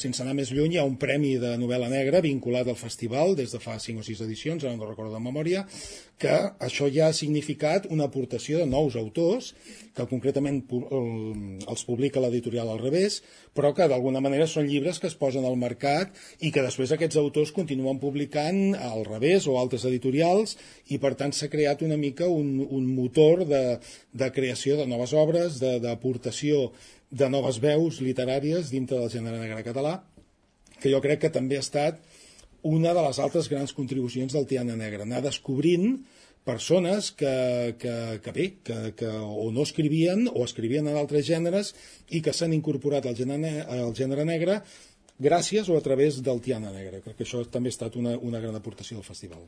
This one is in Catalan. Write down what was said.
sense anar més lluny, hi ha un premi de novel·la negra vinculat al festival des de fa 5 o 6 edicions, ara no recordo de memòria, que això ja ha significat una aportació de nous autors, que concretament els publica l'editorial Al Revés, però que d'alguna manera són llibres que es posen al mercat i que després aquests autors continuen publicant Al Revés o altres editorials, i per tant s'ha creat una mica un motor de creació de noves obres, d'aportació de noves veus literàries dintre del gènere negre català, que jo crec que també ha estat una de les altres grans contribucions del Tiana Negra, anar descobrint persones que o no escrivien o escrivien en altres gèneres i que s'han incorporat al gènere negre gràcies o a través del Tiana Negra. Crec que això també ha estat una gran aportació del festival.